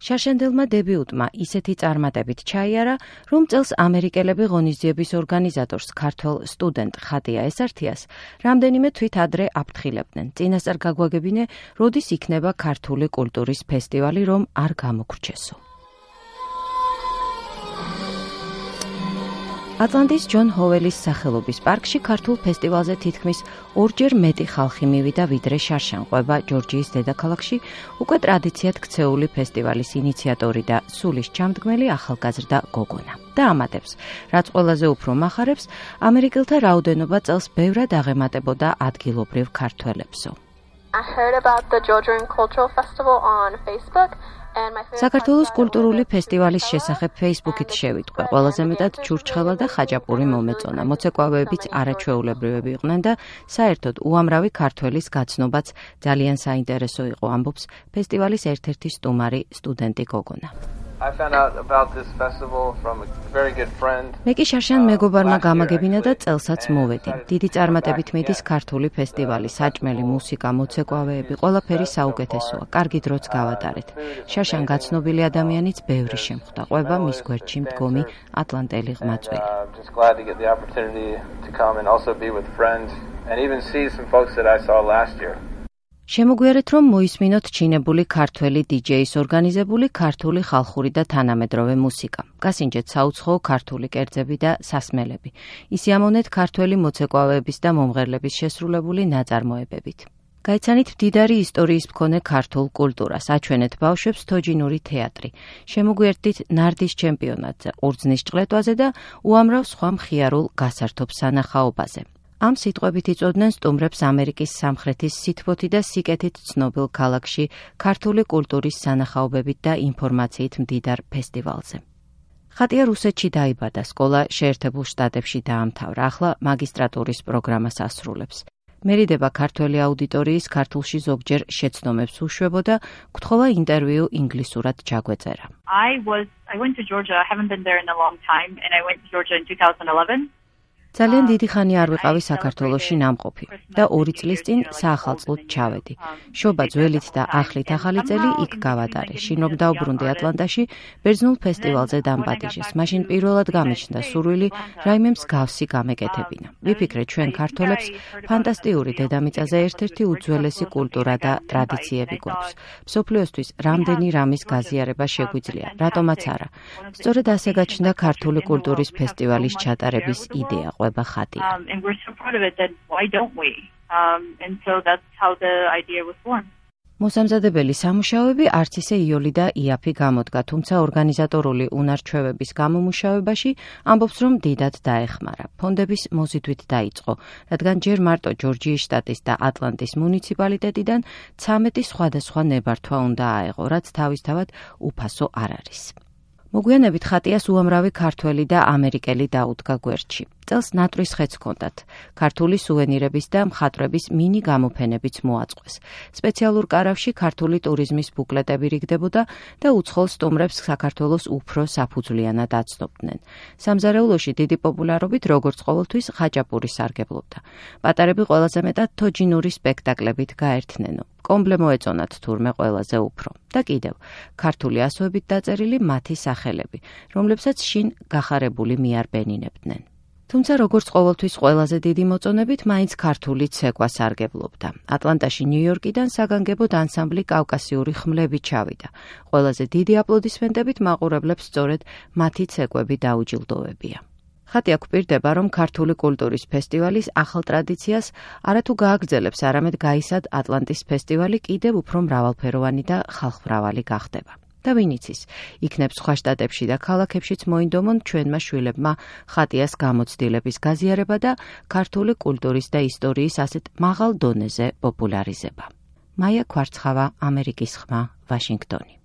შარშანდელმა დებიუტმა ისეთი წარმატებით ჩაიარა, რომ წელს ამერიკელები ღონისძიების ორგანიზატორს ქართველ სტუდენტ ხატია ესართიას რამდენიმე თვით ადრე აფრთხილებდნენ. წინასწარ გაგვაგებინე, როდის იქნება ქართული კულტურის ფესტივალი, რომ არ გამოგრჩესო. ატლანტის ჯონ ჰოველის სახელობის პარკში ქართულ ფესტივალზე თითქმის ორჯერ მეტი ხალხი მივიდა, ვიდრე შარშანყვება ჯორჯიის დედაქალაქში უკვე ტრადიციად ქცეული ფესტივალის ინიციატორი და სულის ჩამდგმელი ახალგაზრდა გოგონა. და ამატებს, რაც ყველაზე უფრო მახარებს, ამერიკელთა რაოდენობა წელს ბევრად აღემატებოდა ადგილობრივ ქართველებსო. I heard about the Georgian Cultural Festival on Facebook. საქართველოს კულტურული ფესტივალის შესახებ Facebook-ით შევიტყვე. ყველაზე მეტად ჩურჩხელა და ხაჭაპური მომეწონა. მოცეკვავეებიც არაჩვეულებრივები იყვნენ და საერთოდ უამრავი ქართველის გაცნობაც ძალიან საინტერესო იყო, ამბობს ფესტივალის ერთ-ერთი სტუმარი სტუდენტი გოგონა. მე კი შარშან მეგობარმა გამაგებინა და წელსაც მოვედი. დიდი წარმატებით მიდის ქართული ფესტივალი, საჭმელი, მუსიკა, მოცეკვავეები, ყველაფერი საუკეთესოა. კარგი დროც გავატარეთ. შარშან გაცნობილი ადამიანიც ბევრი შემხვდა. ყვება მის გვერდში მდგომი ატლანტელი ღმაწველი. შემოგვიარეთ, რომ მოისმინოთ ჩინებული ქართველი დიჯეის ორგანიზებული ქართული ხალხური და თანამედროვე მუსიკა. გასინჯეთ საუცხოო ქართული კერძები და სასმელები. ისიამოვნეთ ქართველი მოცეკვავეების და მომღერლების შესრულებული ნაწარმოებებით. გაიცანით მდიდარი ისტორიის მქონე ქართულ კულტურას, აჩვენეთ ბავშვებს თოჯინური თეატრი. შემოგვიერთდით ნარდის ჩემპიონატზე, ყურძნის ჭყლეტვაზე და უამრავ სხვა მხიარულ გასართობ სანახაობაზე. ამ სიტყვებით იწოდნენ სტუმრებს ამერიკის სამხრეთის სითბოთი და სიკეთით ცნობილ ქალაქში ქართული კულტურის სანახაობებით და ინფორმაციით მდიდარ ფესტივალზე. ხატია რუსეთში დაიბადა, სკოლა შეერთებულ შტატებში დაამთავრა, ახლა მაგისტრატურის პროგრამას ასრულებს. მერიდება ქართველი აუდიტორიის ქართულში ზოგჯერ შეცდომებს უშვებოდა, გთხოვა ინტერვიუ ინგლისურად ჩაგვეწერა. I went to Georgia. I haven't been there in a long time, and I went to Georgia in 2011. ძალიან დიდი ხანი არ ვიყავი საქართველოში ნამყოფი და 2 წლის წინ საახალწლოდ ჩავედი. შობა ძველით და ახლით ახალი წელი იქ გავატარე. შინ რომ დავბრუნდი ატლანტაში, ბერძნულ ფესტივალზე დამპატიჟეს. მაშინ პირველად გამიჩნდა სურვილი რაიმე მსგავსი გამეკეთებინა. ვიფიქრე, ჩვენ ქართველებს ფანტასტიკური დედამიწაზე ერთ-ერთი უძველესი კულტურა და ტრადიციები გვაქვს. მსოფლიოსთვის რამდენი რამის გაზიარება შეგვიძლია, რატომაც არა. სწორედ ასე გაჩნდა ქართული კულტურის ფესტივალის ჩატარების იდეა. And we're so proud of it that why don't we? And so that's how the idea was born. მოსამზადებელი სამუშაოები არც ისე იოლი და იაფი გამოდგა, თუმცა ორგანიზატორული უნარჩვევების გამომუშავებაში ამბობს, რომ დიდად დაეხმარა. ფონდების მოზიდვით დაიწყო, რადგან ჯერ მარტო ჯორჯიის შტატის და ატლანტის მუნიციპალიტეტიდან 13 სხვადასხვა ნებართვა უნდა აეღო, რაც თავისთავად უფასო არ არის. მოგვიანებით ხატიას უამრავი ქართველი და ამერიკელი დაუდგა გვერდში. წელს ნატვრის ხეც ჰქონდათ. ქართული სუვენირების და მხატვრების მინი გამოფენებიც მოაწყვეს. სპეციალურ კარავში ქართული ტურიზმის ბუკლეტები რიგდებოდა და უცხოელ სტუმრებს საქართველოს უფრო საფუძვლიანად აცნობდნენ. სამზარეულოში დიდი პოპულარობით, როგორც ყოველთვის, ხაჭაპური სარგებლობდა. პატარები ყველაზე მეტად თოჯინური სპექტაკლებით გაერთნენო. კომბლე მოეწონათ თურმე ყველაზე უფრო. და კიდევ, ქართული ასოებით დაწერილი მათი სახელები, რომლებსაც შინ გახარებული მიარბენინებდნენ. თუმცა როგორც ყოველთვის ყველაზე დიდი მოწონებით მაინც ქართული ცეკვა სარგებლობდა. ატლანტაში ნიუ-იორკიდან საგანგებოდ ანსამბლი კავკასიური ხმლები ჩავიდა. ყველაზე დიდი აპლოდისმენტებით მაყურებლებს სწორედ მათი ცეკვები დაუჯილდოვებია. ხატია გვპირდება, რომ ქართული კულტურის ფესტივალის ახალ ტრადიციას არათუ გააგრძელებს, არამედ გაისად ატლანტის ფესტივალი კიდევ უფრო მრავალფეროვანი და ხალხმრავალი გახდება. და ვინ იცის, იქნებ სხვა შტატებში და ქალაქებშიც მოინდომონ ჩვენმა შვილებმა ხატიას გამოცდილების გაზიარება და ქართული კულტურის და ისტორიის ასეთ მაღალ დონეზე პოპულარიზება. მაია ქვარცხავა, ამერიკის ხმა, ვაშინგტონი.